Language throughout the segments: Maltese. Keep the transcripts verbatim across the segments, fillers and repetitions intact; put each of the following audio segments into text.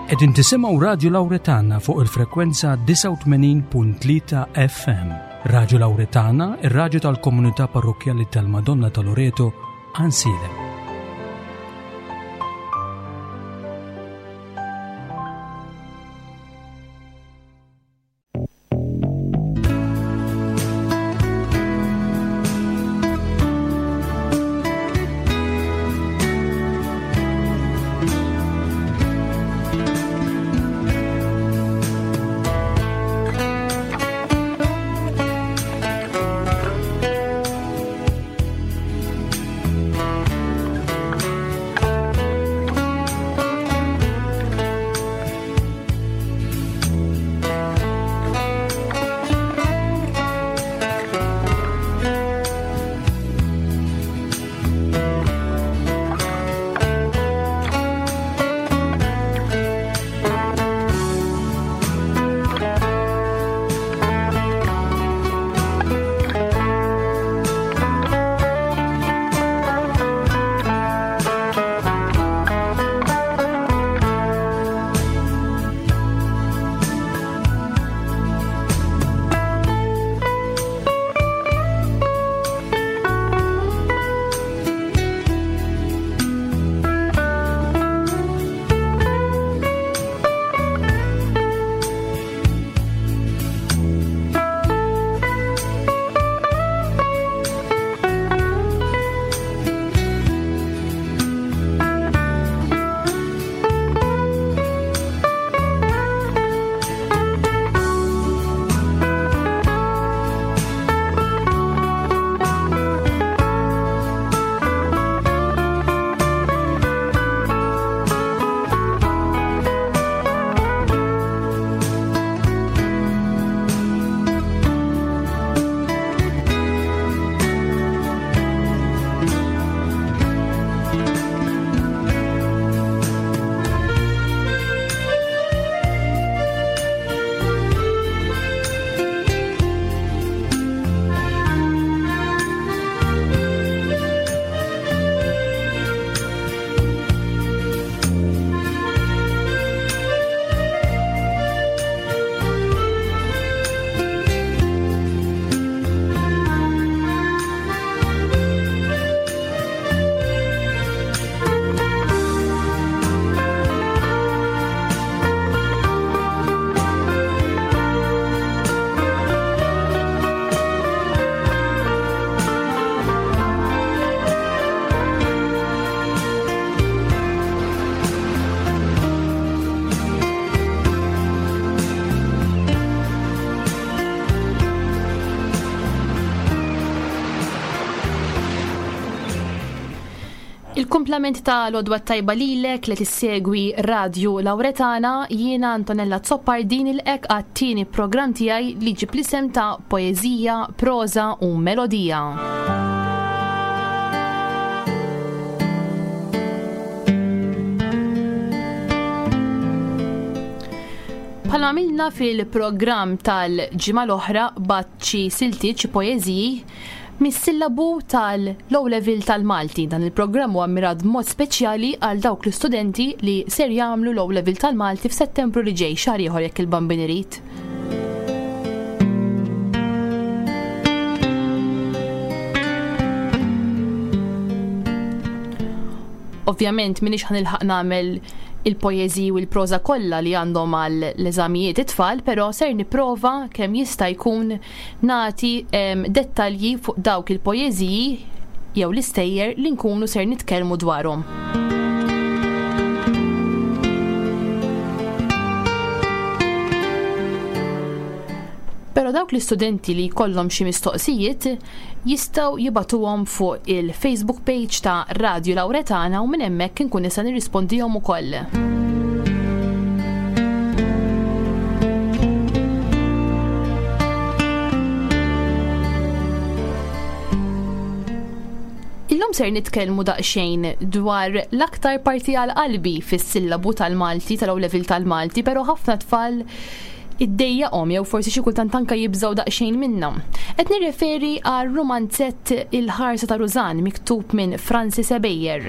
Qegħdin tisimgħu Radju Lawretana fuq il-frekwenza disgħa u tmenin punt tlieta F M. Radju Lawretana, ir-radju tal-Komunità Parrokkjali tal-Madonna ta' Loreto, Għajnsielem. Il-kumplament ta' l-għodwa t-tajba lilek li tissegwi Radju Lawretana, jiena Antonella Azzopardi nilqgħek għat-tieni programm tiegħi li jġib l-isem ta' Poeżija, Proża u Melodija. Bħalma għamilna fil-programm tal-ġimgħa l-oħra, bgħatt xi siltiet, xi poeżiji mis-sillabu tal-O Level tal-Malti. Dan il-programm huwa mmirat b'mod speċjali għal dawk l-istudenti li ser jagħmlu l-O Level tal-Malti f'Settembru li ġej, xahar ieħor jekk il-Bambin irid. Ovvjament m'iniex ħa nilħaq nagħmel il-poeżiji u l-proża kollha li għandhom għal l-eżamijiet it-tfal, però ser nipprova kemm jista' jkun nagħti em, dettalji fuq dawk il-poeżiji jew l-istejjer li nkunu ser nitkellmu dwarhom. Però dawk l-istudenti li jkollhom xi mistoqsijiet jistgħu jibagħtuhom fuq il-Facebook page ta' Radio Lawretana u minn hemmhekk inkun nista' nirrispondihom ukoll. Illum ser nitkellmu daqsxejn dwar l-aktar parti għal qalbi fis-sillabu tal-Malti, tal-O Level tal-Malti, però ħafna tfal iddejjaqhom jew forsi xi kultant anke jibżgħu daqsxejn minnha. Qed nirreferi għal rumanzett Il-Ħarsa ta' Rużan miktub minn Francis Ebejer.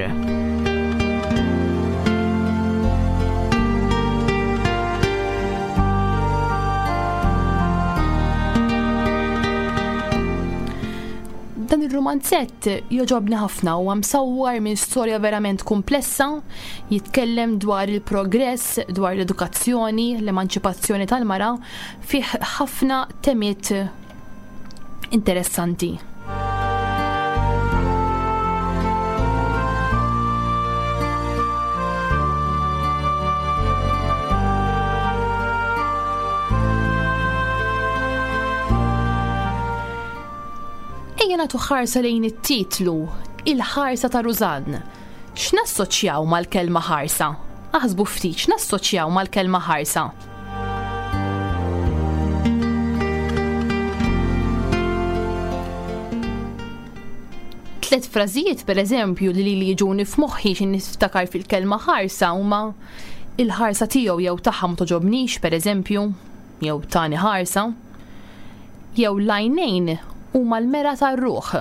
Ir-rumanzett jogħġobni ħafna u msawwar minn storja verament komplessa, jitkellem dwar il-progress, dwar l-edukazzjoni, l-emanċipazzjoni tal-mara, fih ħafna temiet interessanti. Ejja nagħtu ħarsa lejn it-titlu, Il-ħarsa ta' Rużann. X'nassoċjaw mal-kelma ħarsa? Aħsbu ftit, x'nassoċjaw mal-kelma ħarsa? Tlet frażijiet pereżempju li li jiġuni f'moħħi xi niftakar fil-kelma ħarsa huma il-ħarsa tiegħu jew tagħha ma toġobnix pereżempju, jew tani ħarsa, jew l-għajnejn huma l-mera tar-ruħ.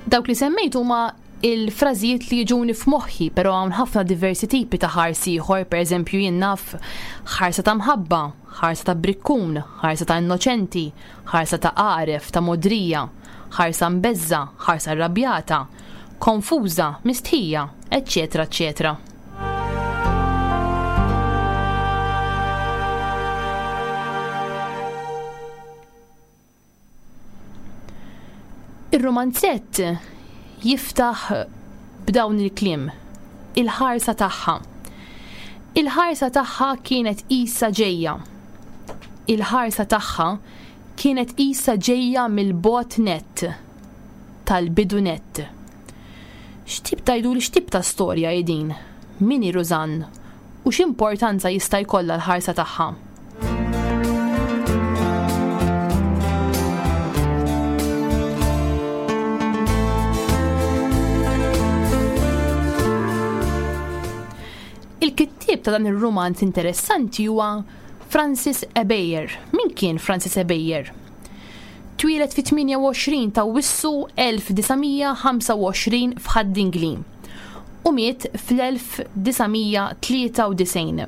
Dawk li semmejt huma il-frażijiet li jiġuni f'moħħi, però hawn ħafna diversi tipi ta' ħarsi ieħor, pereżempju jien naf ħarsa ta' mħabba, ħarsa ta' brikkun, ħarsa ta' innoċenti, ħarsa ta' għaref, ta' modrija, ħarsa mbeżża, ħarsa rrabjata, konfuża, mistħija, eċċetera, eċċetera. Ir-romanzett jiftaħ b'dawn il-kliem, il-ħarsa tagħha. Il-ħarsa tagħha kienet qisha ġejja. Il-ħarsa tagħha kienet qisha ġejja mill-bogħod nett, tal-bidu nett. X'tip tgħidu li x'tip ta' storja hi din? Min hi Rużann? U x'importanza jista' jkollha l-ħarsa tagħha? Il-kittieb ta' dan ir-rumanz interessanti huwa Francis Ebejer. Min kien Francis Ebejer? Twieled fi tmienja u għoxrin ta' Awwissu elf disa' mija ħamsa u għoxrin f'Ħad-Dingli u miet fl-elf disa' mija tlieta u disgħin.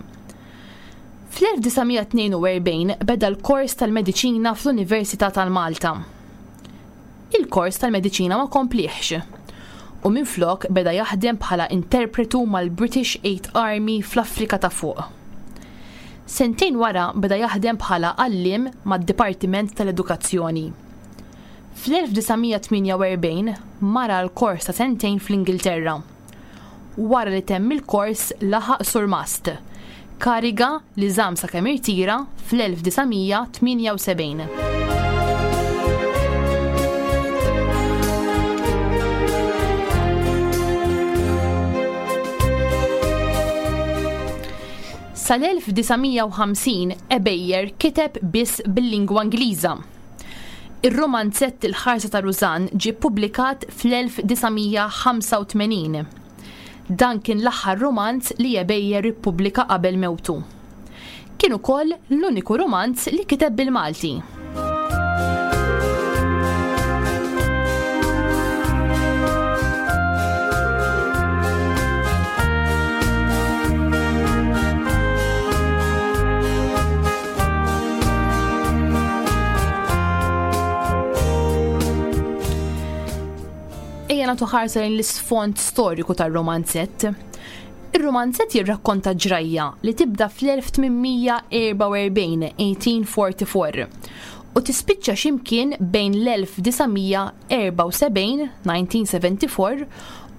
Fl-elf disa' mija tnejn u erbgħin beda l-kors tal-mediċina fl-Università tal-Malta. Il-kors tal-mediċina ma komplieħx u minflok beda jaħdem bħala interpretu mal-British Eighth Army fl-Afrika ta' fuq. Sentejn wara beda jaħdem bħala għalliem mad-Dipartiment tal-Edukazzjoni. Fl-elf disa' mija tmienja u erbgħin mara l-kors ta' sentejn fl-Ingilterra. Wara li temm il-kors laħaq surmast, kariga li żamm sakemm irtira fl-elf disa' mija tmienja u sebgħin. Sal-elf disa' mija u ħamsin Ebejer kiteb biss bil-lingwa Ingliża. Ir-romanzett Il-ħarsa ta' Rużann ġie ppubblikat fl-elf disa' mija ħamsa u tmenin. Dan kien l-aħħar romanz li Ebejer ippubblika qabel mewtu. Kien ukoll l-uniku romanz li kiteb bil-Malti. Ejja nagħtu ħarsa lejn l-isfond storiku tar-romanzett. Ir-romanzett jirrakkonta ġrajja li tibda fl-elf tmien mija erba' u erbgħin, eighteen forty-four, u tispiċċa x'imkien bejn l-elf disa' mija erba' u sebgħin, nineteen seventy-four,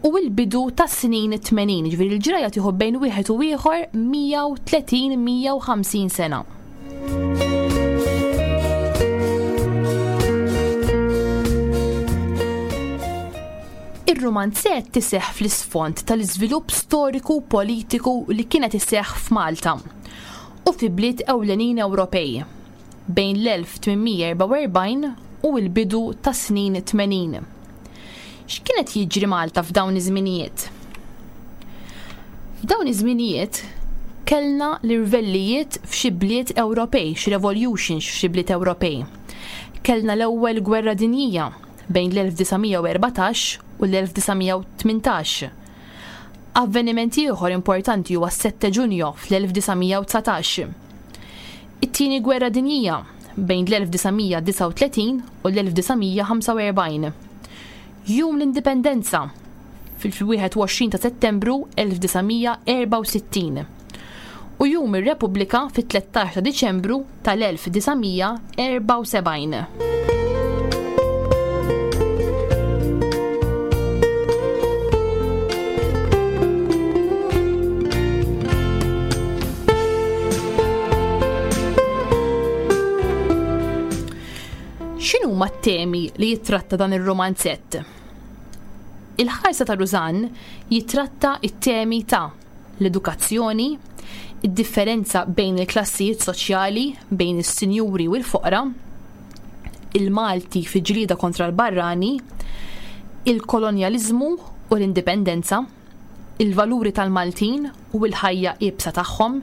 u l-bidu tas-snin tmenin, ġifieri l-ġrajja tieħu bejn wieħed u ieħor mija u tletin, mija u ħamsin sena. Ir-romanzett iseħħ fl-isfond tal-iżvilupp storiku u politiku li kienet iseħħ f'Malta u fi bliet ewlenin Ewropej bejn l-elf tmien mija erba' u erbgħin u l-bidu tas-snin tmenin. X'kienet jiġri Malta f'dawn iż-żminijiet? F'dawn iż-żminijiet kellna l-irvellijiet f'xi bliet Ewropej, xi revolutions f'xi bliet Ewropej. Kellna l-ewwel gwerra dinjija bejn l-elf disa' mija u erbatax u l-elf disa' mija u tmintax. Avveniment ieħor importanti huwa s-sette Ġunju fl-elf disa' mija u dsatax. It-Tieni Gwerra Dinjija bejn l-elf disa' mija disgħa u tletin u l-elf disa' mija ħamsa u erbgħin. Jum l-Indipendenza fil-wieħed u għoxrin ta' Settembru elf disa' mija erbgħa u sittin. U Jum ir-Repubblika fit-tlettax ta' Diċembru tal-elf disa' mija erbgħa u sebgħin. X'inhuma t-temi li jitratta dan ir-romanzett? Il-ħarsa ta' Rużann jitratta t-temi ta' l-edukazzjoni, id-differenza bejn il-klassijiet soċjali, bejn is-sinjuri u l-foqra, il-Malti fi ġlieda kontra l-barrani, il-kolonjaliżmu u l-indipendenza, il-valuri tal-Maltin u l-ħajja iebsa tagħhom,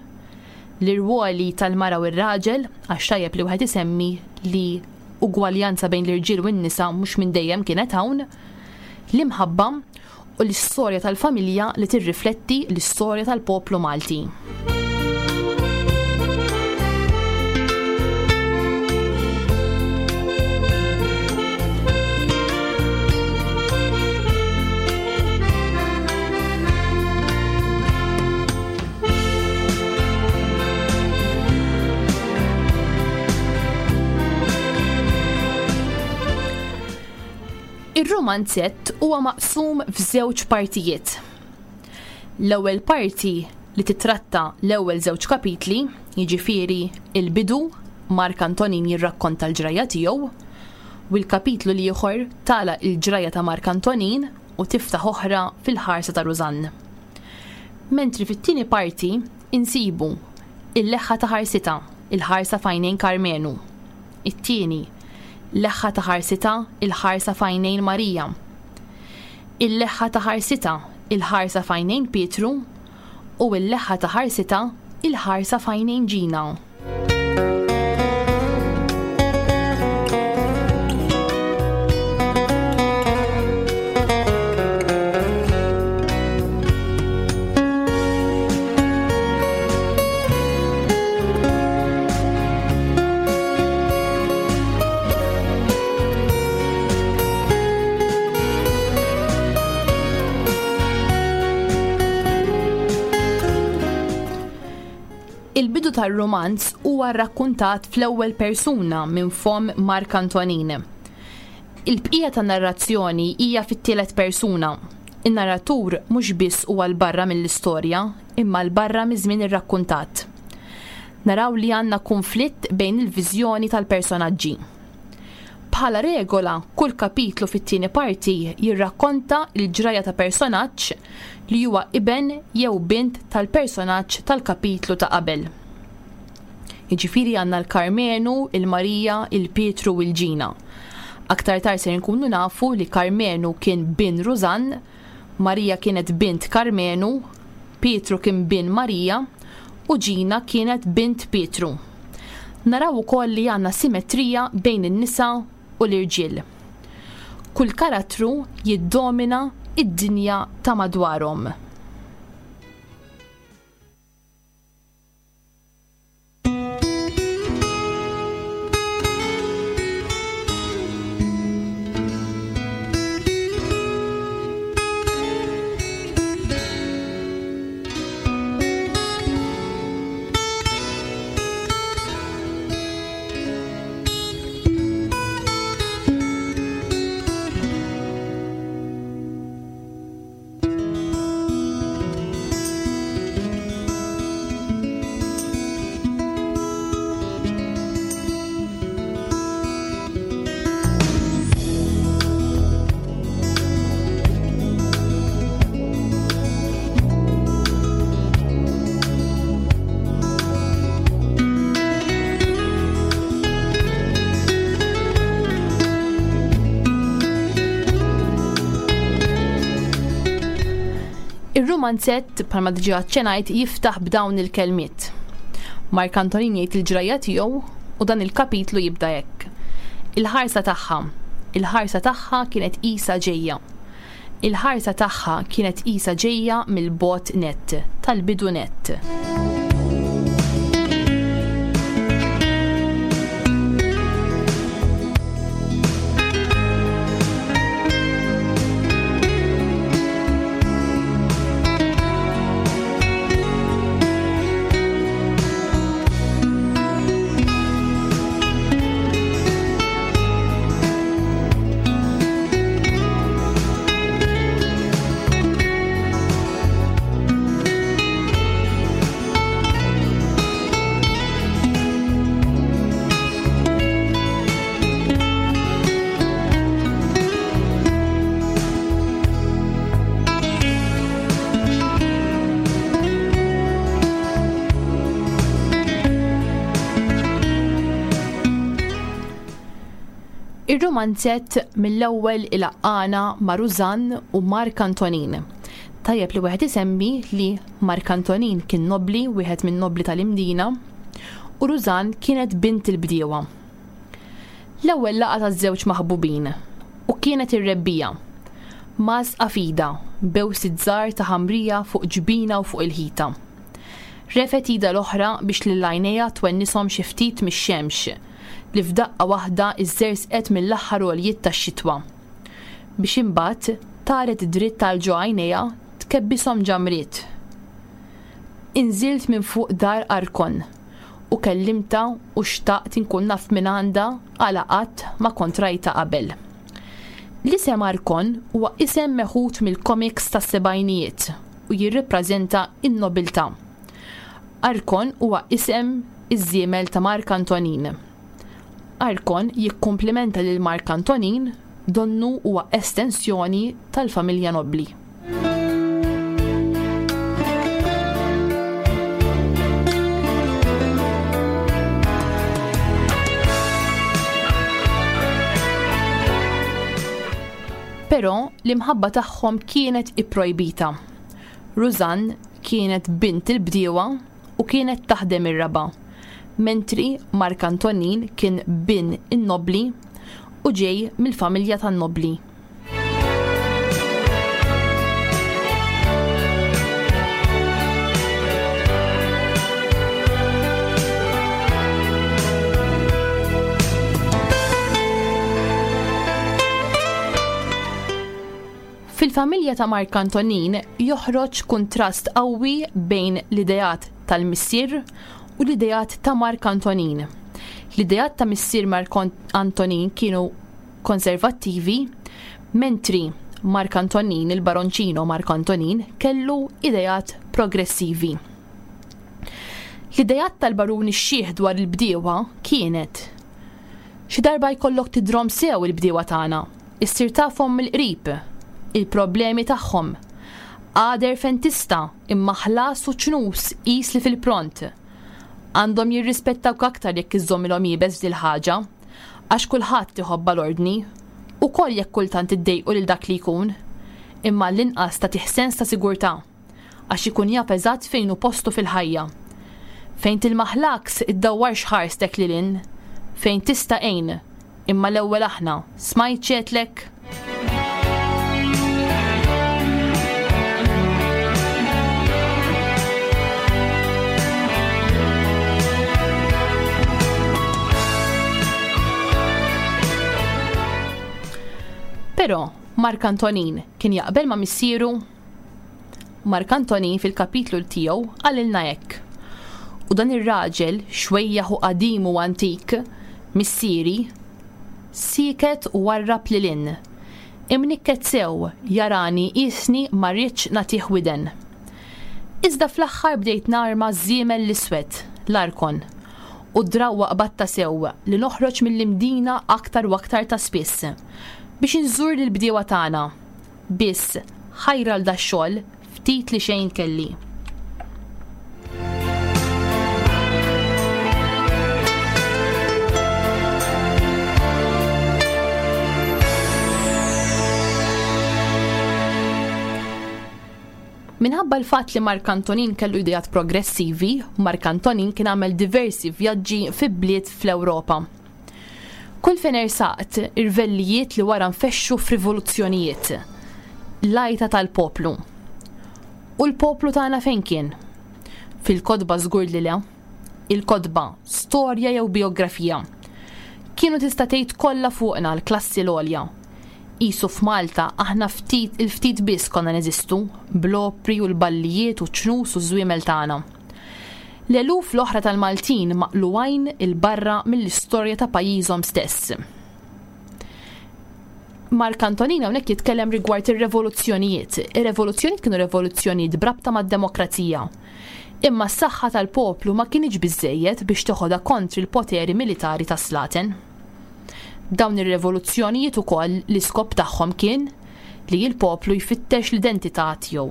l-irwoli tal-mara u r-raġel, għax tajjeb li wieħed isemmi li ugwaljanza bejn l-irġiel u n-nisa mhux minn dejjem kienet hawn, l-imħabba u l-istorja tal-familja li tirrifletti l-istorja tal-poplu Malti. Ir-romanzett huwa maqsum f'żewġ partijiet. L-ewwel parti li titratta l-ewwel żewġ kapitli, jiġifieri il-bidu, Mark Antonin jirrakkonta l-ġrajja tiegħu, u l-kapitlu l-ieħor tagħlaq il-ġrajja ta' Mark Antonin u tiftaħ oħra fil-ħarsa ta' Rużann. Mentri fit-tieni parti insibu il-leħħa ta' ħarsita, il-ħarsa f'għajnejn Karmenu. It-tieni, leħħa ta' ħarsita, il-ħarsa f'għajnejn Marija. Il-leħħa ta' ħarsita, il-ħarsa f'għajnejn Pietru, u il-leħħa ta' ħarsita, il-ħarsa f'għajnejn Ġina. Il-bidu tar-romanz huwa rrakkuntat fl-ewwel persuna minn fomm Mark Antonin. Il-bqija tan-narrazzjoni hija fit-tielet persuna. In-narratur mhux biss huwa l barra mill-istorja, imma l barra miż-żmien irrakkuntat. Naraw li għandna konflitt bejn il-viżjoni tal-personaġġi. Bħala regola, kull kapitlu fit-tieni parti jirrakkonta l-ġrajja ta' personaġġ li huwa iben jew bint tal-personaġġ tal-kapitlu ta' qabel. Jiġifieri għandna l-Karmenu, il-Marija, il-Pietru u l-Ġina. Aktar tard ser nkunu nafu li Karmenu kien bin Rużann, Marija kienet bint Karmenu, Pietru kien bin Marija u Ġina kienet bint Pietru. Naraw ukoll li għandna simetrija bejn in-nisa u l-irġiel. Kull karattru jiddomina id-dinja ta' madwarhom. Ir-romanzett, bħalma diġà aċċenajt, jiftaħ b'dawn il-kelmiet. Mark Antonin jgħid il-ġrajja tiegħu u dan il-kapitlu jibda hekk. Il-ħarsa tagħha. Il-ħarsa tagħha kienet qisha ġejja. Il-ħarsa tagħha kienet qisha ġejja mill-bogħod nett, tal-bidu nett. Ir-romanzett mill-ewwel ilaqqana ma' Rużann u Mark Antonin. Tajjeb li wieħed isemmi li Mark Antonin kien nobbli, wieħed minn nobbli tal-Imdina, u Rużann kienet bint il-bdiewa. L-ewwel laqgħa taż-żewġ maħbubin u kienet ir-rebbija. Mażqa f'idha, bewsit żgħar ta' ħamrija fuq ġbina u fuq il-ħita. Refgħet idha l-oħra biex lil għajnejha twennishom xi ftit mix-xemx li f'daqqa waħda iżżerżqet mill-aħħar għoljiet tax-xitwa. Biex imbagħad taret dritt għal ġo għajnejha tkebbishom ġamriet. Inżilt minn fuq dar Arkon u kellimtha u xtaqt inkun naf minn għandha għala qatt ma kont rajtha qabel. L-isem Arkon huwa isem meħud mill-komiks tas-sebgħinijiet u jirrappreżenta n-nobiltà. Arkon huwa isem iż-żiemel ta' Mark Antonin. Arkon jikkumplimenta lil Mark Antonin donnu huwa estensjoni tal-familja nobbli. Però l-imħabba tagħhom kienet ipprojbita. Rużann kienet bint il-bdiewa u kienet taħdem ir-raba', mentri Mark Antonin kien bin in-nobbli u ġej mill-familja tan-nobbli. Fil-familja ta' Mark Antonin joħroġ kuntrast qawwi bejn l-ideat tal-missier u l-ideat ta' Mark Antonin. L-ideat ta' missier Mark Antonin kienu konservattivi, mentri Mark Antonin, il-baronċino Mark Antonin, kellu ideat progressivi. L-ideat tal-baruni x-xiħ dwar il-bdiewa kienet: xi darba jkollok tidrom sew il-bdiewa tagħna, issir tafhom mill-qrib, il-problemi tagħhom. Għader fentista imma ħlas u ċnus qis li fil-pront. Għandhom jirrispettawk aktar jekk iżżommilhom iebes f'dil ħaġa, għax kulħadd iħobba l-ordni, ukoll jekk kultant iddejqu lil dak li jkun, imma l-inqas tagħtih sens ta' sigurtà, għax ikun jaf eżatt fejn hu postu fil-ħajja. Fejn tilmaħlaks iddawwarx ħarstek lil hinn, fejn tista' għin, imma l-ewwel aħna, smajt x'għedtlek? Però Mark Antonin kien jaqbel ma' missieru. Mark Antonin fil-kapitlu tiegħu qalilna hekk. U dan ir-raġel xwejjaħ u qadim u antik, missieri, siket u warrab lil hinn. Imnikket sew jarani qisni ma rridx nagħtih widen. Iżda fl-aħħar bdejt narma żiemel l-iswed, l-Arkon, u d-drawwa qbatta sew li noħroġ mill-Imdina aktar u aktar ta' spiss biex inżur lill-bdiewa tagħna. Biss ħajra l dax-xogħol ftit li xejn kelli. Minħabba l-fatt li Mark Antonin kellu ideat progressivi, Mark Antonin kien għamel diversi vjaġġi fi bliet fl-Ewropa. Kull fejn ersaqt irvellijiet li wara nfexxu f'rivoluzzjonijiet. L-għajta tal-poplu. U l-poplu tagħna fejn kien? Fil-kotba żgur li le. Il-kotba, storja jew bijografija. Kienu tista' tgħid kollha fuqna l-klassi l-għolja. Qisu f'Malta aħna ftit il-ftit biss konna neżistu, bl-opri u l-ballijiet u ċ-ċnus u ż-żwiemel tagħna. L-eluf l-oħra tal-Maltin maqlugħin 'il barra mill-istorja ta' pajjiżhom stess. Mark Antonin hawnhekk jitkellem rigward ir-revoluzzjonijiet. Ir-revoluzzjonijiet kienu revoluzzjonijiet b'rabta mad-demokrazija. Imma s-saħħa tal-poplu ma kinitx biżżejjed biex teħodha kontri l-poteri militari tas-slaten. Dawn ir-revoluzzjonijiet ukoll l-iskop tagħhom kien li l-poplu jfittex l-identità tiegħu.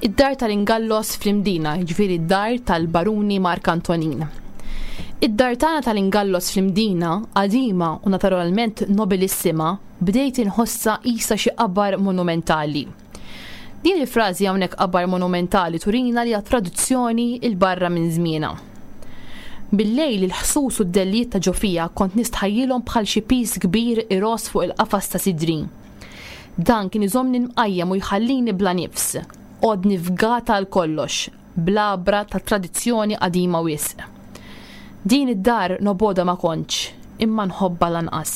Id-dar tal-Ingallos fl-Imdina, jiġifieri d-dar tal-Baruni Mark Antonin. Id-dar tagħna tal-Ingallos fl-Imdina, qadima u naturalment nobilissima, bdejt inħossha qisha xi qabar monumentali. Din il-frażi hawnhekk qabar monumentali turina li hija traduzzjoni il barra minn żmienha. Bil-lejl il-ħsus u d-dellijiet ta' ġo fija kont nistħajjilhom bħal xi pis kbir iros fuq il-qafas ta' sidri. Dan kien iżommni mqajjem u jħallini bla nifs. Għodni fgata għal kollox, bl-għabra ta' tradizzjoni qadima wisq. Din id-dar noboda ma kontx, imma nħobbha lanqas.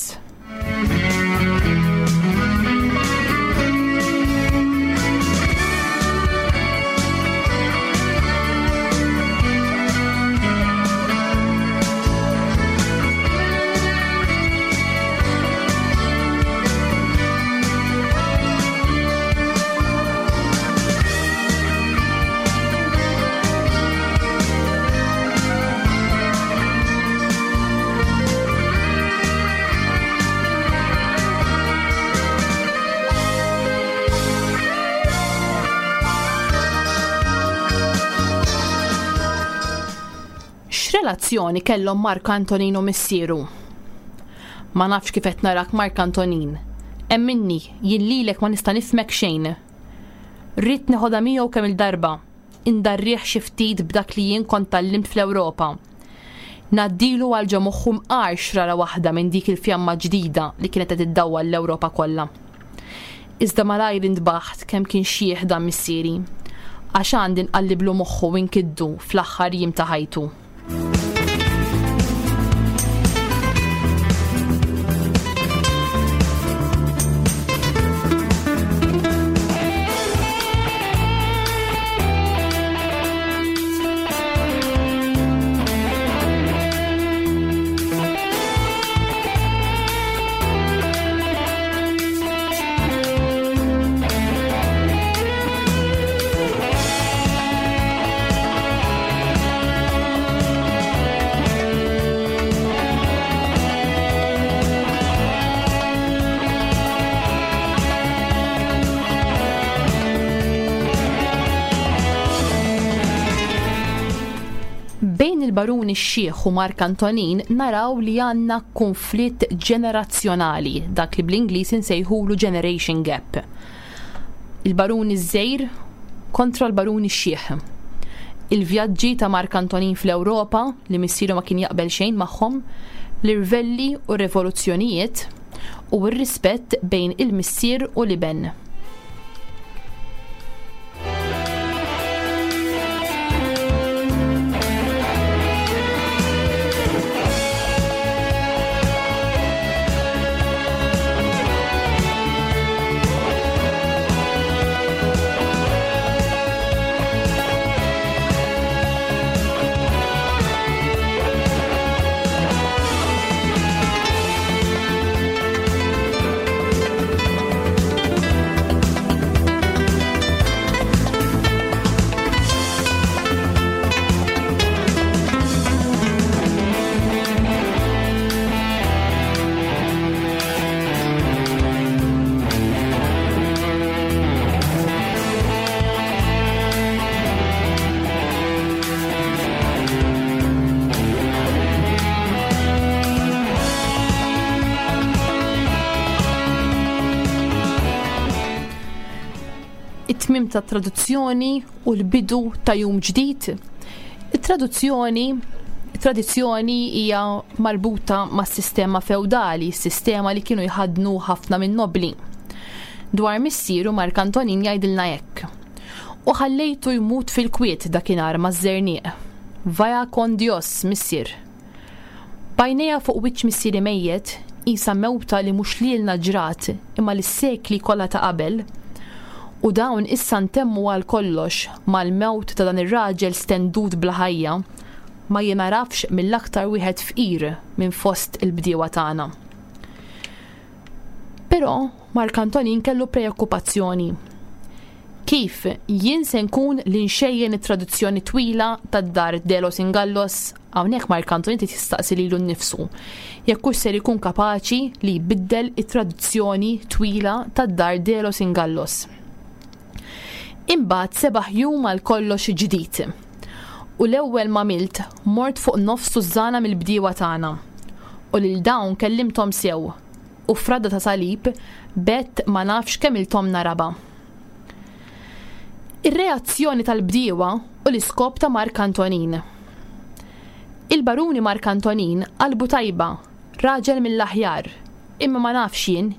X'relazzjoni kellhom Mark Antonin u missieru? Ma nafx kif qed narak Mark Antonin. Emminni, jien lilek ma nista' nifhmek xejn. Ridt neħodha miegħu kemm il-darba, indarrih xi ftit b'dak li jien kont tgħallimt fl-Ewropa. Ngħaddilu għal ġo moħħu mqar xrara waħda minn dik il-fjamma ġdida li kienet qed iddawwal l-Ewropa kollha. Iżda malajr intbaħt kemm kien xjieħ dan missieri, għax għandi nqalliblu moħħu u nkiddu fl-aħħar jiem ta' ħajtu. Bejn il-Baruni x-Xiħ u Mark Antonin naraw li għandna konflitt ġenerazzjonali, dak li bl-Ingliż insejħulu generation gap. Il-Baruni ż-Żgħir kontra l-Baruni x-Xiħ. Il-vjaġġi ta' Mark Antonin fl-Ewropa li missieru ma kien jaqbel xejn magħhom, l-irvelli u r-revoluzzjonijiet u r-rispett bejn il-missier u l-iben. It-tmiem ta' traduzzjoni u l-bidu ta' jum ġdid. It-traduzzjoni Tradizzjoni hija marbuta mas-sistema feudali, sistema li kienu jħadnu ħafna minn nobli. Dwar missieru Mark Antonin jgħidilna hekk. U ħallejtu jmut fil-kwiet dakinhar maż-żerniq. Vaya con Dios, missier. Bajnejha fuq wiċċ missieri mejjet, isa mewta li mhux lilna ġrat imma lis-sekli kollha ta' qabel. U dawn issa ntemmu għal kollox mal-mewt ta' dan ir-raġel stendut bla ħajja, ma jinarafx mill-aktar wieħed fqir minn fost il-bdiewa tagħna. Però Mark Antonin kellu preokkupazzjoni. Kif jien se nkun li nxejjen it-traduzzjoni twila tad-dar de los Ingallos? Hawnhekk Mark Antonin trid jistaqsi lilu nnifsu jekk hux ser ikun kapaċi li jbiddel it-traduzzjoni twila tad-dar de los Ingallos. Imbagħad sebaħ jum għal kollox ġdid. U l-ewwel ma milt mort fuq nofs tużżana mill-bdiewa tagħna. U lil dawn kellimthom sew. U fradda ta' salib bett ma nafx kemm iltomna raba. Ir-reazzjoni tal-bdiewa u l-iskop ta' Mark Antonin. Il-baruni Mark Antonin qalbu tajba, raġel mill-aħjar, imma ma nafx jien,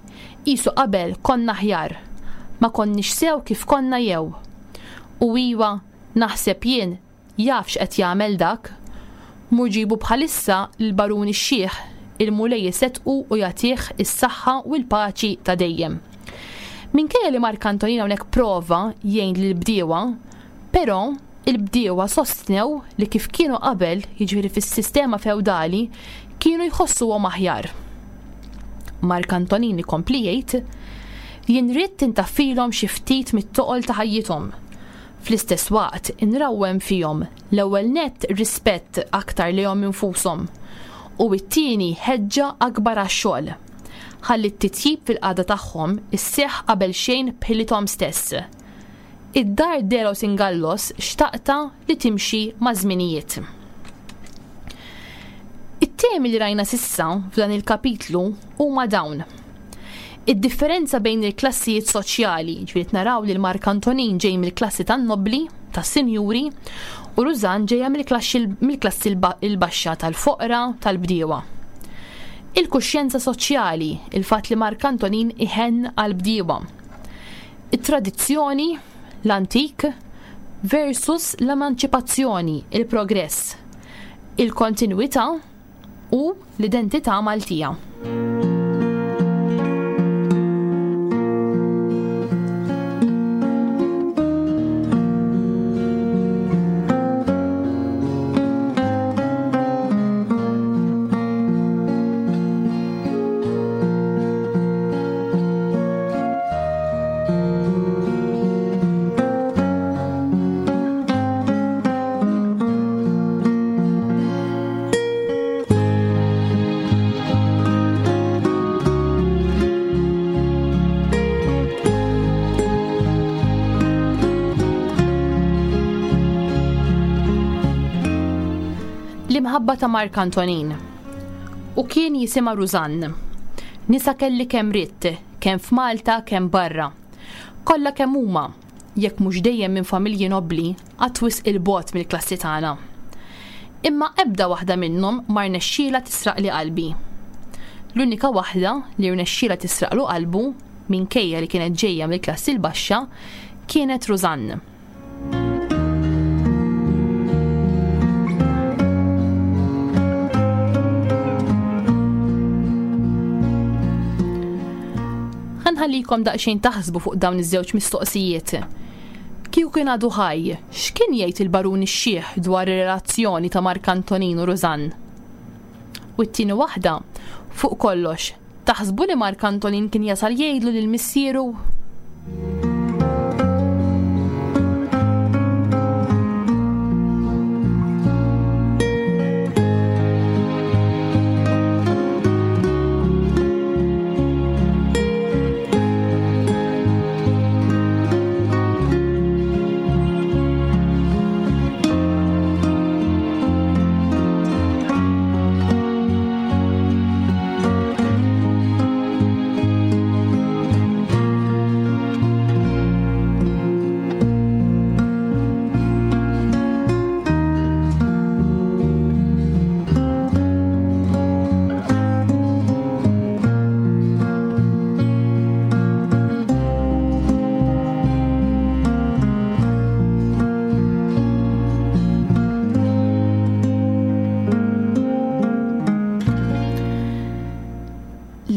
qisu qabel konna aħjar. Ma konniex sew kif konna jew. U iwa, naħseb jien jaf x'qed jagħmel dak. Mur ġibu bħalissa l-baruni x-xiħ, il-Mulej iseddqu u jagħtih is-saħħa u l-paċi ta' dejjem. Minkejja li Mark Antonin hawnhekk prova jgħin lill-bdiewa, però il-bdiewa sostnew li kif kienu qabel, jiġifieri fis-sistema feudali, kienu jħossuhom aħjar. Mark Antonin ikompli jgħid, jien ridt intaffilhom xi ftit mit-toqol ta' ħajjithom. Fl-istess waqt inrawwem fihom l-ewwel nett rispett aktar lejhom infushom u t-tieni ħeġġa akbar għax-xogħol. Ħalli t-titjib fil-qagħda tagħhom isseħħ qabel xejn b'ħilithom stess. Id-dar de los Ingallos xtaqta li timxi ma' żminijiet. It-temi li rajna sissa f'dan il-kapitlu huma dawn. Id-differenza bejn il-klassijiet soċjali, ġifieri naraw li l-Mark Antonin ġej mill-klassi tan-nobbli, tas-sinjuri, u Rużann ġejja mill-klassi l-baxxa tal-foqra, tal-bdiewa. Il-kuxjenza soċjali, il-fatt li Mark Antonin iħenn għall-bdiewa. It-tradizzjoni, l-antik, versus l-emanċipazzjoni, il-progress, il-kontinwità u l-identità Maltija. L-imħabba ta' Mark Antonin. U kien jisimha Rużann. Nisa kelli kemm ridt, kemm f'Malta, kemm barra. Kollha kemm huma, jekk mhux dejjem minn familji nobbli, qatt wisq il-bogħod mill-klassi tagħna. Imma ebda waħda minnhom ma rnexxielha tisraqli qalbi. L-unika waħda li rnexxielha tisraqlu qalbu, minkejja li kienet ġejja mill-klassi l-baxxa, kienet Rużann. Ħallikom daqsxejn taħsbu fuq dawn iż-żewġ mistoqsijiet. Kieku kien għadu ħaj, x'kien jgħid il-baruni x-xiħ dwar ir-relazzjoni ta' Mark Antonin u Rużann? U t-tieni waħda, fuq kollox, taħsbu li Mark Antonin kien jasal jgħidlu lil missieru?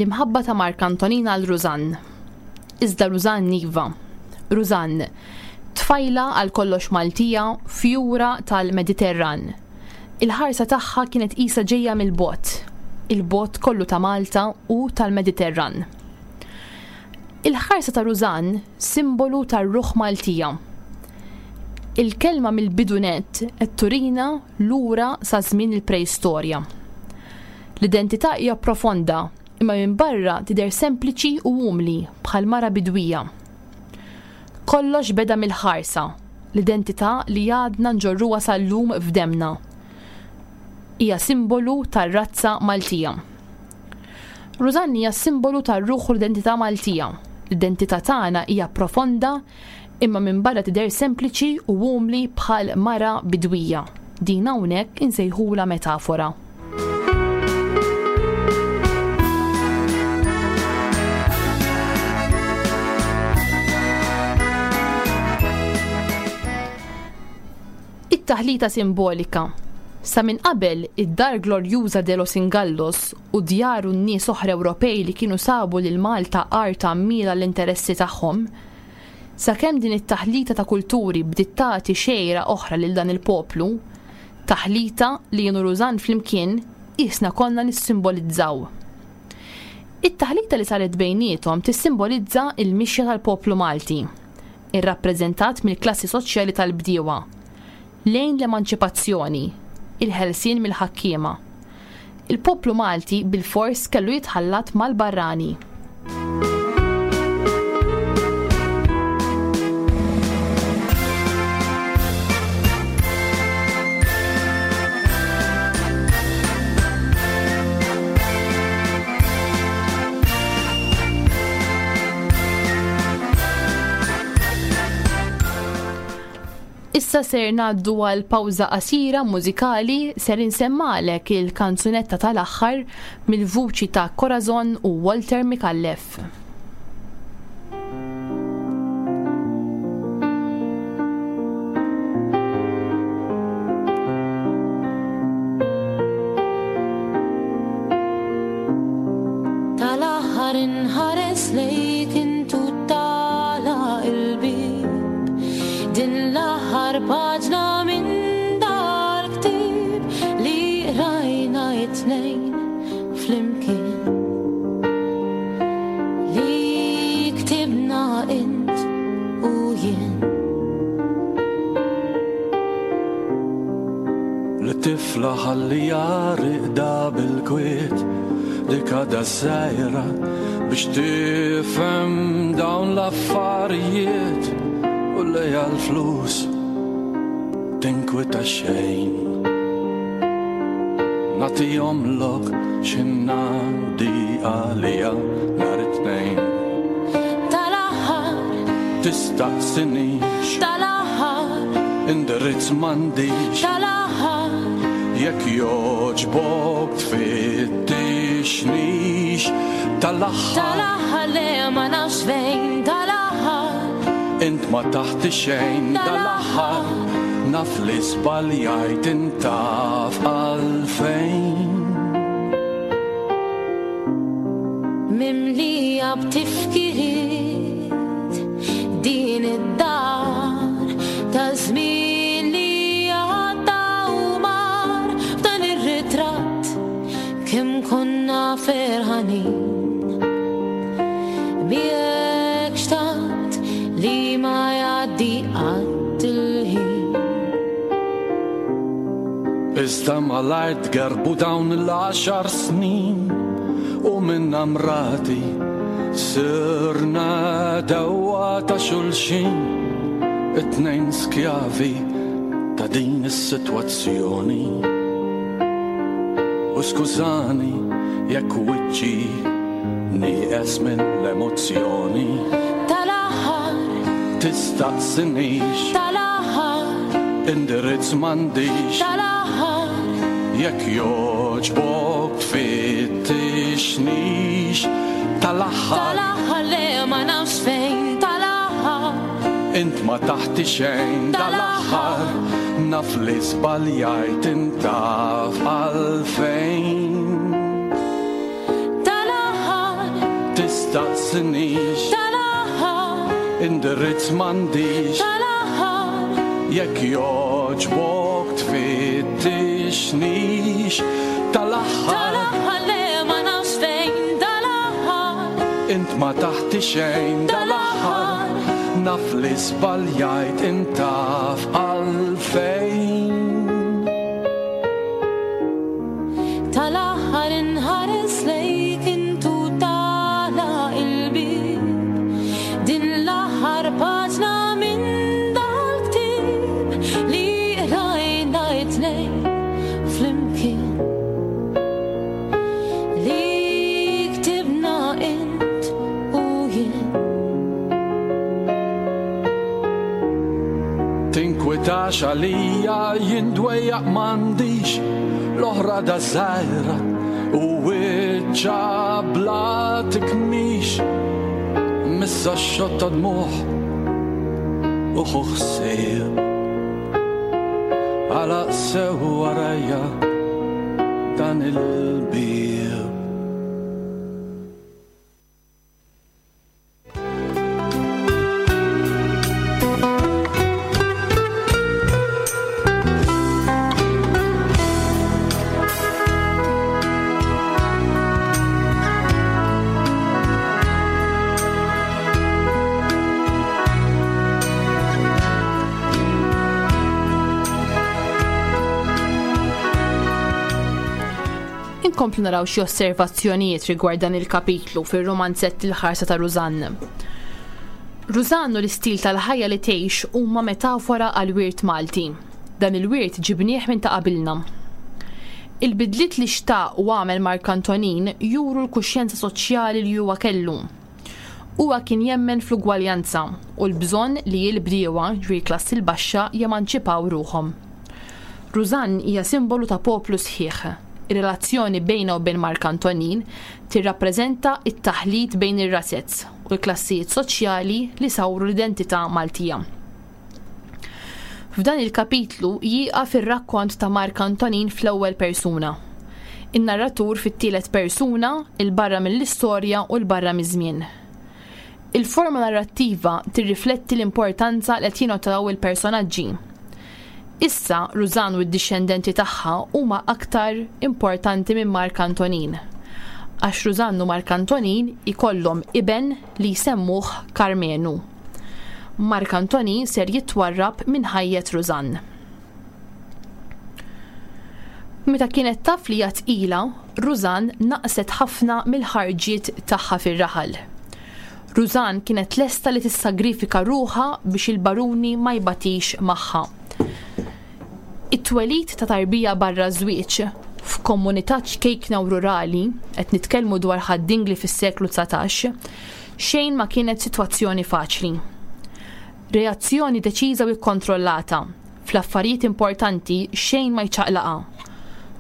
l-imħabba ta' Mark Antonin għal Rużann. Iżda Rużann iva. Rużann, tfajla għal kollox Maltija, fjura tal-Mediterran. Il-ħarsa tagħha kienet qisha ġejja mill-bogħod, il-bogħod kollu ta' Malta u tal-Mediterran. Il-ħarsa ta' Rużann simbolu tar-ruħ Maltija. Il-kelma mill-bidu nett qed turina lura sa żmien il-preistorja. L-identità hija profonda, imma minn barra tidher sempliċi u umli bħal mara bidwija. Kollox beda mill-ħarsa, l-identità li għadna nġorruha sal-lum f'demna. Hija simbolu tar-razza Maltija. Rużann hija simbolu tar-ruħ u l-identità Maltija. L-identità tagħna hija profonda imma minn barra tidher sempliċi u umli bħal mara bidwija. Din hawnhekk insejħulha metafora. It-taħlita simbolika. Sa minn qabel id-dar glorjuża de los Ingallos u djar u n-nies oħra Ewropej li kienu sabu lil Malta art għammiela l-interessi tagħhom, sakemm din it-taħlita ta' kulturi bdiet tagħti xejra oħra lil dan il-poplu, taħlita li jien u Rużann flimkien qisna konna nissimbolizzaw. It-taħlita li saret bejniethom tissimbolizza il-mixja tal-poplu Malti, irrappreżentat mill-klassi soċjali tal-bdiewa, lejn l-emanċipazzjoni, il-ħelsien mill-ħakkiema. Il-poplu Malti bil-fors kellu jitħallat mal-barrani. Issa ser ngħaddu għal pawża qasira mużikali, ser insemmalek il-kanzunetta tal-aħħar mill-vuċi ta' Corazon u Walter Micallef. Tal-aħħar inħares lejk intu tala il-bib, din l-aħħar paġna minn dal-ktieb li rajna it-tnejn flimkien, li ktibna int u jien. L-tifla ħallija riqda bil-kwiet, dik għadha żgħira biex tifhem dawn l-affarijiet u lejha l-flus tinkwita xejn. Nagħtihom lok x'ingħaddi għalija nhar it-tnejn. Tal-aħħar tistaqsinix, tal-aħħar indirizz m'għandix, tal-aħħar jekk jogħġbok tfittixnix, tal-aħħar tal-aħħar le ma nafx fejn, tal-aħħar int ma taħti xejn, dal-aħħar naf li żbaljajt intaf għalfejn. Mimlija b'tifkiriet din id-dar ta' żmien li għadda u mar, f'dan ir-ritratt kemm konna ferħanin. Miegħek xtaqt li ma jgħaddi qatt il-ħin. Iżda malajr tgerbu dawn l-għaxar snin u minn amrati sirna dewwa ta' xulxin, it-tnejn skjavi ta' din is-sitwazzjoni. U skużani jekk wiċċi nieqes minn l-emozzjoni. Tal-aħħar tistaqsinix, tal-aħħar indirizz m'għandix, tal-aħħar jekk jogħġbok tfittixnix, tal-aħħar tal-aħħar le ma nafx fejn, tal-aħħar int ma taħti xejn, dal-aħħar naf li żbaljajt intaf għalfejn. Tal-aħħar Tistaqsinix. Tal-aħħar. Indirizz m'għandix. Tal-aħħar. Jekk jogħġbok tfittixnix. Tal-aħħar. Tal-aħħar le ma nafx fejn. Tal-aħħar. Int ma taħti xejn. Tal-aħħar. Naf li żbaljajt intaf għalfejn. Tal-aħħar inħares lejk intu tagħlaq il-bieb. Din l-aħħar paġna minn dal-ktieb li qrajna t-tnejn flimkien. Li ktibna int u jien. Tinkwitax għalija jien dwejjaq m'għandix. L-oħra da żgħira u wiċċha bla tikmix. Missa x-xotta dmuħ u ħu ħsieb. Għalaq sew warajja dan il-bieb. Inkomplu naraw xi osservazzjonijiet rigward dan il-kapitlu fir-romanzett Il-ħarsa ta' Rużann. Rużann u l-istil tal-ħajja li tgħix huma metafora għal wirt Malti. Dan il-wirt ġibnieh minn ta' qabilna. Il-bidliet li xtaq u għamel Mark Antonin juru l-kuxjenza soċjali li huwa kellu. Huwa kien jemmen fl-ugwaljanza u l-bżonn li l-bdiewa, ġifieri klassi l-baxxa, jemanċipaw ruħhom. Rużann hija simbolu ta' poplu sħiħ. Ir-relazzjoni bejna u bejn Mark Antonin tirrappreżenta t-taħlit bejn ir-razez u l-klassijiet soċjali li sawru l-identità Maltija. F'dan il-kapitlu jieqaf ir-rakkont ta' Mark Antonin fl-ewwel persuna. In-narratur fit-tielet persuna, il-barra mill-istorja u l-barra miż-żmien. Il-forma narrattiva tirrifletti l-importanza li qed jingħataw il-personaġġi. Issa Rużann u d-dixxendenti tagħha huma aktar importanti minn Mark Antonin. Għax Rużann u Mark Antonin ikollhom iben li jsemmuh Karmenu. Mark Antonin ser jitwarrab minn ħajjet Rużann. Meta kienet taf li hija tqila, Rużann naqset ħafna mill-ħarġiet tagħha fir-raħal. Rużann kienet lesta li tissagrifika ruħha biex il-baruni ma jbatix magħha. It-twelid ta' tarbija barra żwieġ f'komunità ċkejkna u rurali, qed nitkellmu dwar Ħad-Dingli fis-seklu dsatax, xejn ma kienet sitwazzjoni faċli. Reazzjoni deċiża u kkontrollata, fl-affarijiet importanti xejn ma jċaqlaqa.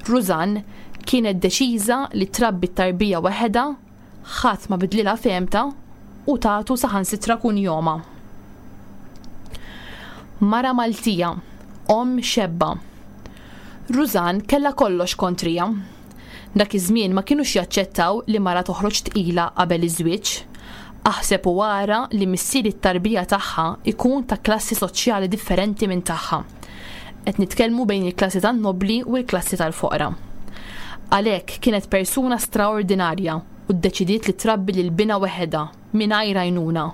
Rużann kienet deċiża li trabbi t-tarbija waħedha, ħadd ma bidlilha fehmta u tagħtu saħansitra kunjoma. Mara Maltija, omm xebba. Rużann kellha kollox kontrija. Dak iż-żmien ma kinux jaċċettaw li mara toħroġ tqila qabel iż-żwieġ. Aħseb u wara li missier it-tarbija tagħha ikun ta' klassi soċjali differenti minn tagħha. Qed nitkellmu bejn il-klassi tan-nobli u l-klassi tal-foqra. Għalhekk kienet persuna straordinarja u ddeċidiet li trabbi lil binha weħedha mingħajr għajnuna.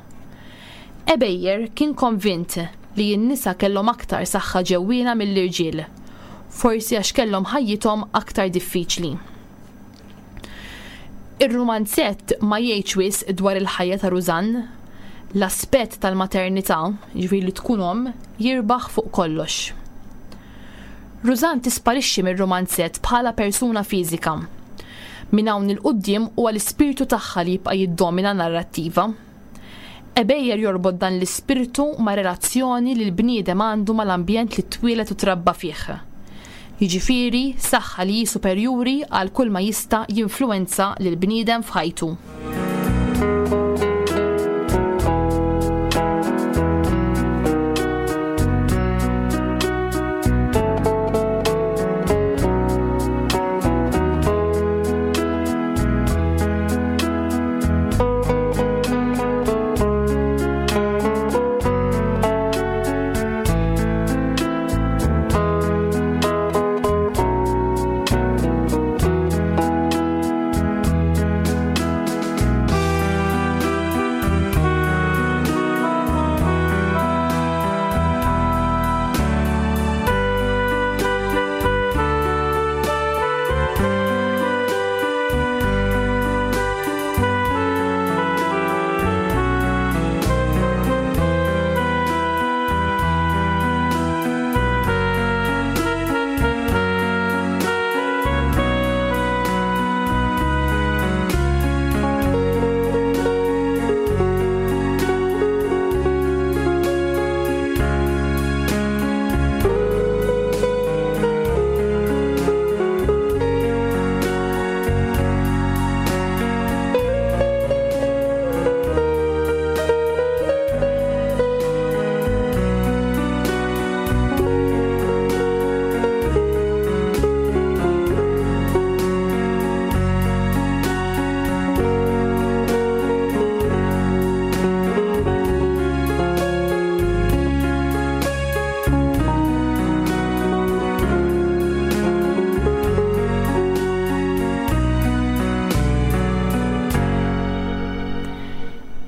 Ebejer kien konvint li n-nisa kellhom aktar saħħa ġewwiena mill-irġiel, forsi għax kellhom ħajjithom aktar diffiċli. Ir-romanzett ma jgħidx wisq dwar il-ħajja ta' Rużann. L-aspett tal-maternità, jiġifieri li tkun omm, jirbaħ fuq kollox. Rużann tisparixxi mir-romanzett bħala persuna fiżika. Minn hawn il-quddiem huwa l-ispirtu tagħha li jibqa' jiddomina narrattiva. Ebejer jorbot dan l-ispirtu ma' relazzjoni li l-bniedem għandu mal-ambjent li twieled u trabba fih. Jiġifieri saħħa li hi superjuri għal kull ma jista' jinfluwenza lil bniedem f'ħajtu.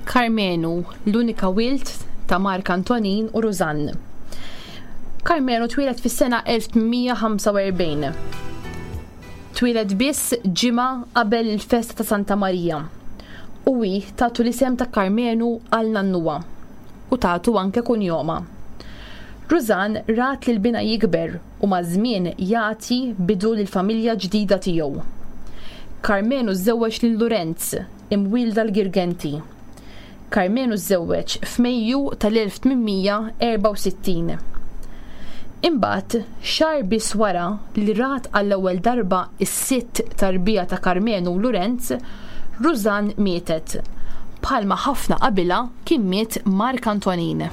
Karmenu, l-unika wild ta' Mark Antonin u Rużann. Karmenu twieled fis-sena elf tmien mija ħamsa u erbgħin. Twieled biss ġimgħa qabel il-festa ta' Santa Marija. U hi tatu l-isem ta' Karmenu għal nannuha u tatu anke kunjoma. Rużann rat lil binha jikber u maż-żmien jagħti bidu lill-familja ġdida tiegħu. Karmenu żewweġ lil Lorenz, imwielda l-Girgenti. Karmenu żewweġ f'Mejju tal-elf tmien mija erbgħa u sittin. Imbagħad, xahar biss wara li rat għall-ewwel darba is-sitt tarbija ta' Karmenu u Lorenz, Rużann mietet. Bħalma ħafna qabilha kien miet Mark Antonin.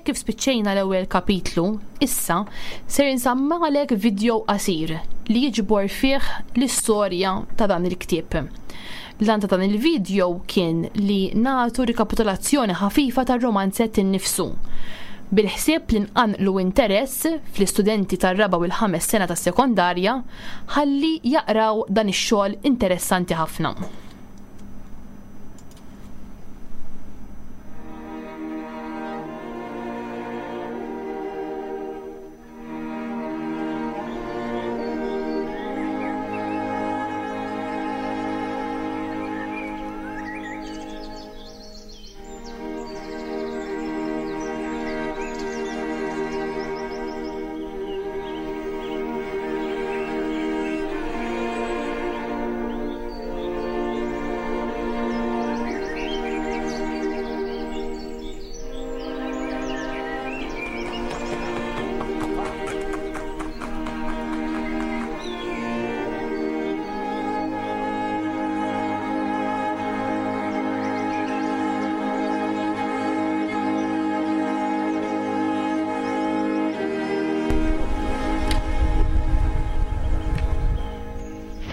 Kif spiċċejna l-ewwel kapitlu, issa ser insammalek video qasir li jiġbor fih l-istorja ta' dan il-ktieb. L-għan ta' dan il-video kien li nagħtu rikapitolazzjoni ħafifa tar-romanzett innifsu, bil-ħsieb li nqanqlu interess fl-istudenti tar-raba' u l-ħames sena tas-sekondarja ħalli jaqraw dan ix-xogħol interessanti ħafna.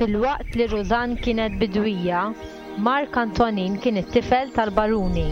Filwaqt li Rużann kienet bidwija, Mark Antonin kien it-tifel tal-baruni.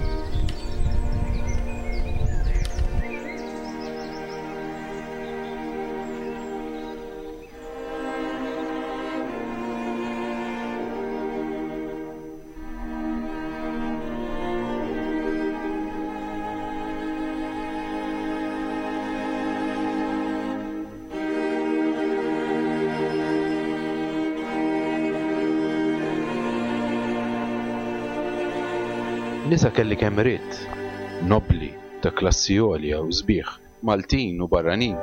Nisa kelli kemm ridt, nobli, ta' klassi għolja u sbieħ, Maltin u barranin.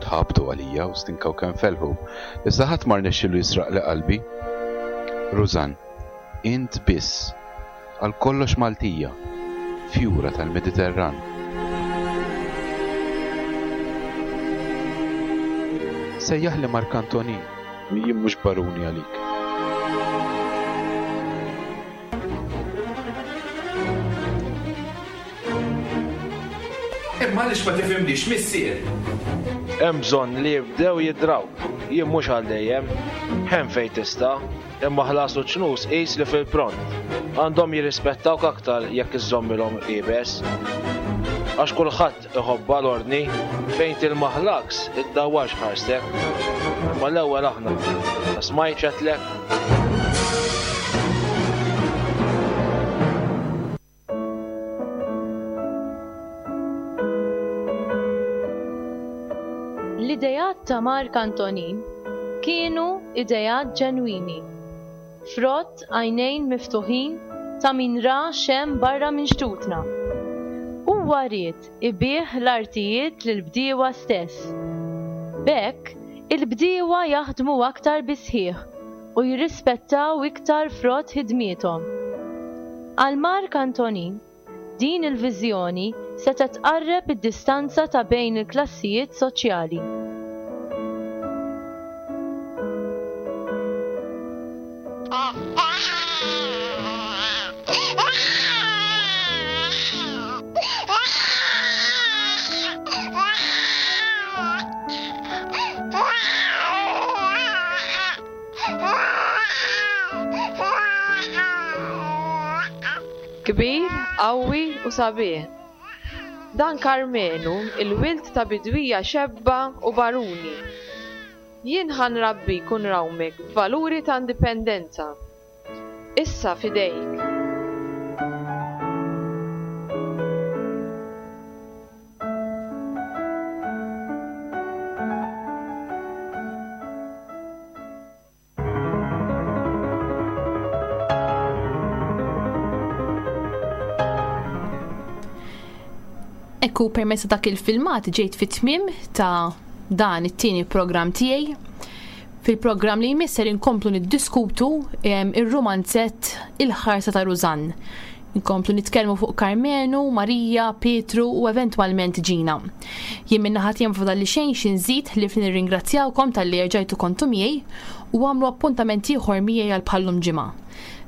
Tħabtu għalija u stinkaw kemm felħu, iżda ħadd ma rnexxielu jisraq li qalbi. Rużann, int biss, għal kollox Maltija, fjura tal-Mediterran. Sejjaħli Mark Antonin, jien mhux baruni għalik. Imma għaliex ma tifhimniex, missier? Hemm bżonn li jibdew jidraw. Jien mhux għal dejjem. Hemm fejn tista', imma ħlas u ċnus qis li fil-pront. Għandhom jirrispettawk aktar jekk iżżommilhom iebes. Għax kulħadd iħobba l-ordni, fejn tilmaħlaks iddawwarx ħarstek. Imma l-ewwel aħna smajt x'għedtlek. L-idejat ta' Mark Antonin kienu idejat ġenwini, frott għajnejn miftuħin ta' min ra xem barra minn xtutna. Huwa ried ibih l-artijiet lill-bdiewa stess. B'hekk, il-bdiewa jaħdmu aktar bisħieħ u jirrispettaw iktar frott ħidmiethom. Għal Mark Antonin, din il-viżjoni setgħet tqarreb id-distanza ta' bejn il-klassijiet soċjali. Kbir, qawwi u sabiħ. Dan Karmenu, il-wild ta' bidwija xebba u baruni. Jien ħa nrabbik u nrawmek b'valuri ta' indipendenza. Issa f'idejk. Ekku permezz ta' dak il-filmat ġejt fit-tmiem ta' dan it-tieni programm tiegħi. Fil-programm li jmiss ser inkomplu niddiskutu ir-romanzett Il-ħarsa ta' Rużann. Inkomplu nitkellmu fuq Karmenu, Marija, Pietru u eventwalment Ġina. Jien minn naħa tiegħi fadal li xejn xi nżid li nirringrazzjawkom talli erġajtu kontu miegħi u għamlu appuntament ieħor miegħi għal bħallum ġimgħa.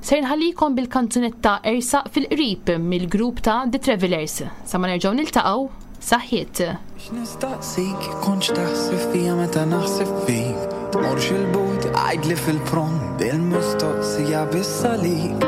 Ser nħallikom bil-kanzunetta Ersaq fil-qrib mill-grupp ta' The Travelers. Sa ma nerġgħu niltaqgħu, saħħiet. Nistaqsik, kontx taħseb fija meta naħseb fik. Tmurx il-but, għajdli fil-pront, il-mistoqsija biss għalik.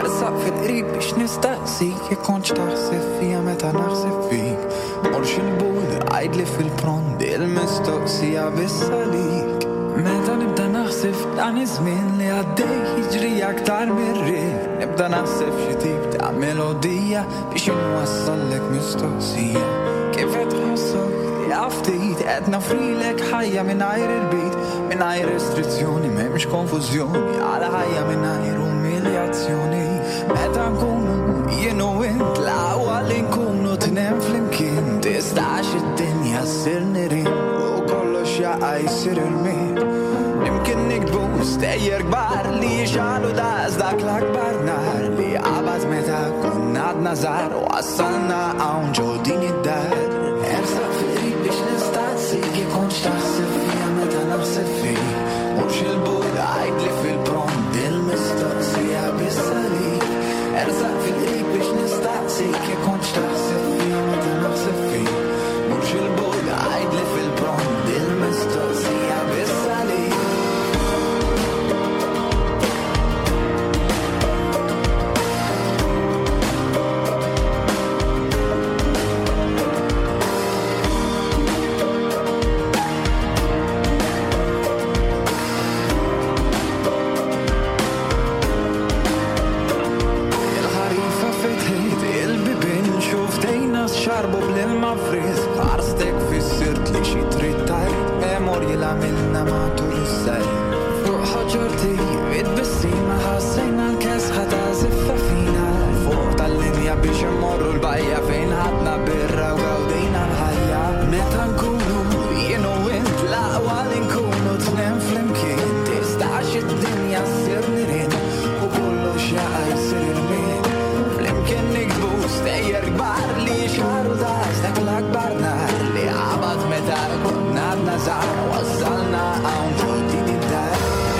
Ersaq fil-qrib biex nistaqsik, kontx taħseb fija meta naħseb fik. Tmurx il-but, għajdli fil-pront, il-mistoqsija biss għalik. Meta nibda naħseb dan iż-żmien li għaddej jiġri aktar mir-riħ. Nibda naħseb xi tip ta' melodija biex inwassallek mistoqsija. Kif qed tħossok? Ja ftit qed nafrilek ħajja mingħajr irbit, mingħajr restrizzjoni, m'hemmx konfużjoni, għal ħajja mingħajr umiljazzjoni. Meta nkunu jien u int l-aqwa li nkunu tnejn flimkien, tistax id-dinja ssir nirien u kollox jaqa' jsir irmied. Imkien nikdbu stejjer kbar li jixalu daqs dak l-akbar nar li qabad meta konna għadna żgħar u wassalna hawn ġo din id-dar. Ersaq fil-qrib biex nistaqsik jekk kontx taħseb fija meta naħseb fik. Mhux il-but għajdli fil-pront il-mistoqsija biss għalik. Ersaq fil-qrib biex nistaqsik jekk kontx taħseb fija meta naħseb fik. Mhux il-but għajdli fil-pront il-mistoqsija biss għalik. Xarbu bl-ilma frisk, ħarstek fissirt li xi trid tgħid, memorji li għamilna matul is-sajf. Fuq ħoġorti, it-tbissima ħassejna l-kesħa ta' ziffa fina. Fuq tal-linja biex immorru l-bajja fejn ħadna birra u gawdejna l-ħajja. Meta nkunu jien u int l-aqwa li nkunu tnejn flimkien, tistax id-dinja ssir nirien u kollox jaqa' jsir irmied. Flimkien nikdbu stejjer kbar li xaru daqs dak l-akbar nar li qabad meta konna għadna żgħar wassalna hawn ġo din id-dar.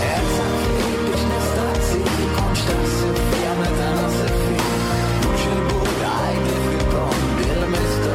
Ersaq fil-qrib biex nistaqsik kontx taħseb fija meta naħseb fik. Mhux il-but għajdli fil-pront il-mistoqsija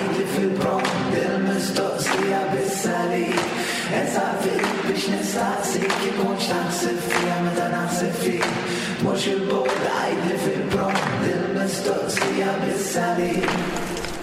għidli fil-pront il-mistoqsija biss għalik. Ersaq fil-qrib biex nistaqsik jekk kontx taħseb fija meta naħseb fik. Tmurx 'il bogħod, għidli fil-pront il-mistoqsija biss għalik.